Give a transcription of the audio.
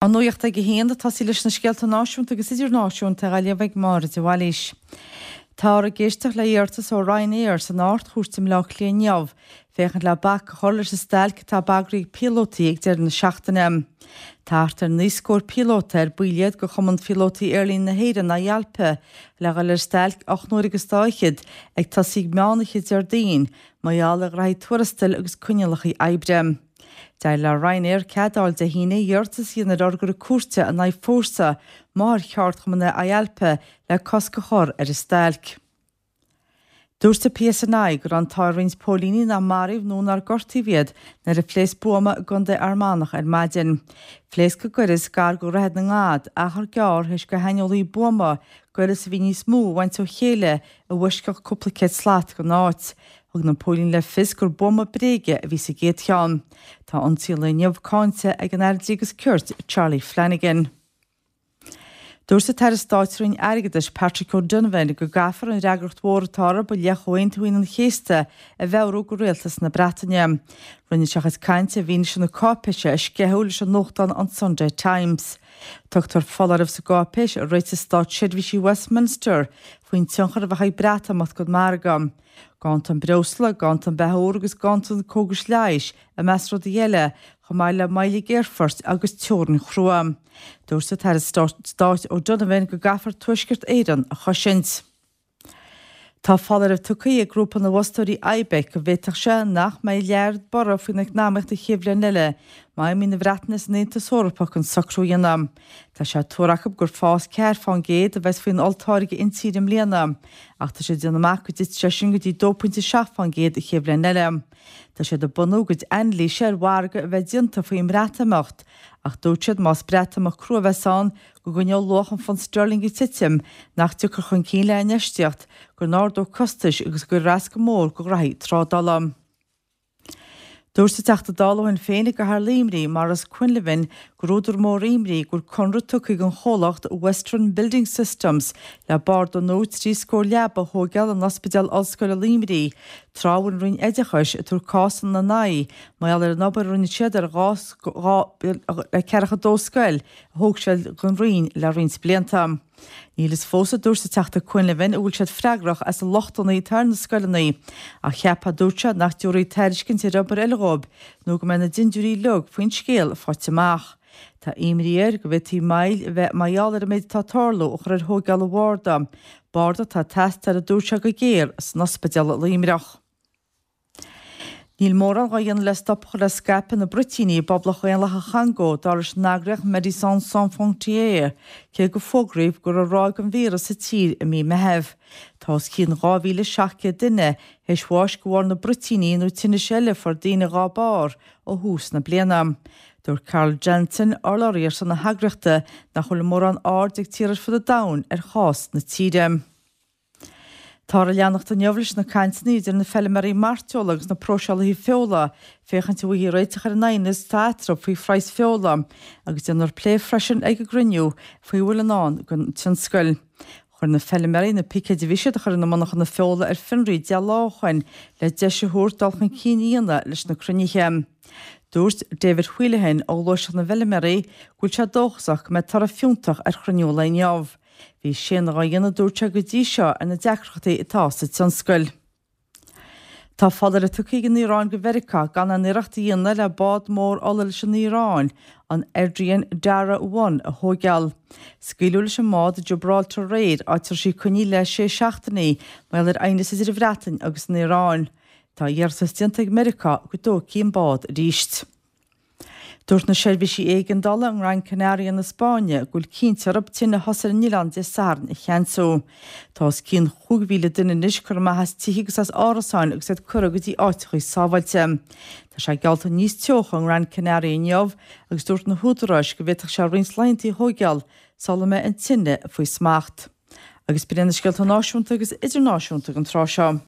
An nuacht ag a haon, ag tosaí leis na scéalta náisiúnta agus idirnáisiúnta á léamh ag Máire de Bhailís. Táthar ag éisteacht le hiarratas ó Ryanair san Ard-Chúirt i mBleá Cliath inniu féachaint le bac a chur leis an stailc atá bagraithe ag píolótaí ag deireadh na seachtaine. Tá thart ar 9 scór píolóta, ar baill iad de Chumann Phíolótaí Aerlíne na hÉireann, IALPA, le dhul ar stailc 8 n-uaire agus dá fhichead, ag tosaí ag meán oíche Déardaoin, mar gheall ar ghraithí tuarastail agus coinníollacha oibre. D'éirigh le Ryanair cead a fháil Dé hAoine iarratas a dhéanamh ar fhorgra cúirte in aghaidh Fórsa, máthaircheardchumann é IALPA, le cosc a chur ar an stailc. Dúirt an PSNI go raibh an t-ádh ar roinnt póilíní nár maraíodh nó nár gortaíodh iad nuair a phléasc buama i gContae Fhear Manach ar maidin. Phléasc an gaireas gar do Dhroichead na nGad, achar gearr théis do shaineolaí buama gaireas a bhí níos mó a bhaint ó chéile i bhfoisceacht cúpla céad slat den áit. Thug na póilíní le fios gur buama bréige a bhí sa gcéad cheann. Tá ionsaí an lae inniu cáinte ag an Aire Dlí agus Cirt, Charlie Flanagan. Dúirt an tAire Stáit sa Roinn Airgeadais, Patrick O'Donovan, go gcaithfear an fhreagracht mhór atá orthu i leith Chomhaontú Aoine an Chéasta a mheabhrú do rialtas na Breataine. Rinne sé a chuid cainte i bhfianaise na cáipéise a sceitheadh leis an nuachtán an Sunday Times. Tugtar foláireamh sa gcáipéis a réitigh státseirbhísí Westminster faoin tionchar a bheadh ag Breatimeacht don mhargadh. Ganntan breosla, ganntan beatha úr agus ganntan cógais leighis, i measc rudaí eile, chomh maith le moill ag aerfoirt agus teorainn chrua. Dúirt an tAire Stáit O'Donovan go gcaithfear Tuaisceart Éireann a chosaint. Tá foláireamh tugtha ag grúpa na bhfostóirí IBEC go bhféadfadh sé nach mbeidh lear borradh faoin eacnamaíocht an chéad bhliain eile má imíonn an Bhreatain as an Aontas Eorpach gan socrú a dhéanamh. Tá sé tuartha acu gur fás 4% a bheas faoin olltáirge intíre i mbliana, Ach tá siad ag déanamh amach go dtitfidh sé sin go dtí 2.7% an chéad bhliain eile. Tá siad ag bunú a gcuid anailíse ar mhargadh a bheith déanta faoin mBreatimeacht, ach dúirt siad más Breatimeacht crua a bheas ann, go gcoinneodh luach an phunt sterling ag titim, nach dtiocfar chun cinn le hinfheistíocht, go n-ardódh costais agus go gcuirfear as go mór do ghraithí trádála. Dúirt an Teachta Dála ó Shinn Féin i gCathair Luimnigh, Maurice Quinlivan, gur údar mór imní go bhfuil conradh tugtha ag an chomhlacht Western Building Systems le barda nua 30 scór leaba a thóigeáil in Ospidéal Ollscoile Luimnigh tráth a bhfuil an Roinn Oideachais ag tabhairt cás ina n-aghaidh mar gheall ar an obair a rinne siad ar 242 scoil a thóg siad don Roinn le roinnt blianta. Níl fhios fós, a dúirt an Teachta Quinlivan, an bhfuil siad freagrach as na lochtanna atá ar na scoileanna, ach cheapfá, dúirt sé, nach dtabharfaí tairiscint ar obair eile dhóibh nó go mbeidh na dindiúirí uilig faoin scéal faighte amach. Tá imní air go bhféadfaí moill a bheith mar gheall ar an méid atá ag tarlú a chur ar thóigeáil an bharda, barda atá ag teastáil, a dúirt sé, go géar san ospidéal i Luimneach. Níl mórán dhá dhéanamh le stop a chur le scaipeadh na mbruitíní i bPoblacht Dhaonlathach Chongó, dar leis an eagraíocht Médecins Sans Frontières, cé gur fógraíodh go raibh ráig an víreas sa tír i mí Meithimh. Tá os cionn 2,700 duine théis bháis de bharr na bruitíní nó tinnis eile a fuair daoine dhá barr ó thús na bliana. Dúirt Carl Jansen, urlabhraí ar son na heagraíochta, nach bhfuil mórán aird ag tíortha ar fud an domhain ar chás na tíre. Táthar ag leanacht inniu leis na cainteanna idir na feilméaraí mairteola agus na próiseálaithe feola féachaint an bhfaighfí réiteach ar an aighneas atá eatarthu faoi phraghas feola agus déanfar plé freisin ag an gcruinniú faoi a bhfuil i ndán don tionscal. Chuir na feilméaraí na picéid a bhí siad a chur ina monarchana feola ar fionraí 10 lá ó shoin le deis a thabhairt dul chun cinn a dhéanamh leis na cruinnithe. Dúirt David Whelehan ó Ghluaiseacht na bhFeilméaraí go bhfuil sé dóchasach go mbeidh toradh fiúntach ar chruinniú an lae inniu. Bhí séanadh á dhéanamh, dúirt sé, go dtí seo ar na deacrachtaí atá sa tionscal. Tá foláireamh tugtha ag an Iaráin do Mheiriceá gan aon iarracht a dhéanamh le bád mór ola leis an Iaráin, an Adrian Darya One, a thóigeáil. Scaoileadh leis an mbád i Gibraltar aréir, áit a raibh sí coinnithe le sé seachtainí, mar gheall ar aighneas idir an Bhreatain agus an Iaráin. Tá iarratas déanta ag Meiriceá go dtógfaí an bád arís. Dúirt na seirbhísí éigeandála i nGran Canaria na Spáinne go bhfuil cinnte orthu tine a thosaigh ar an oileán Dé Sathairn a cheansú. Tá os cionn 5,000 duine anois curtha amach as tithe agus as árasáin agus iad curtha go dtí áiteacha sábháilte. Tá sé geallta níos teocha i nGran Canaria inniu agus dúirt na húdaráis go bhféadfadh sé roinnt laethanta a thóigeáil sula mbeidh an tine faoi smacht. Agus b'in iad na scéalta náisiúnta agus idirnáisiúnta don tráth seo.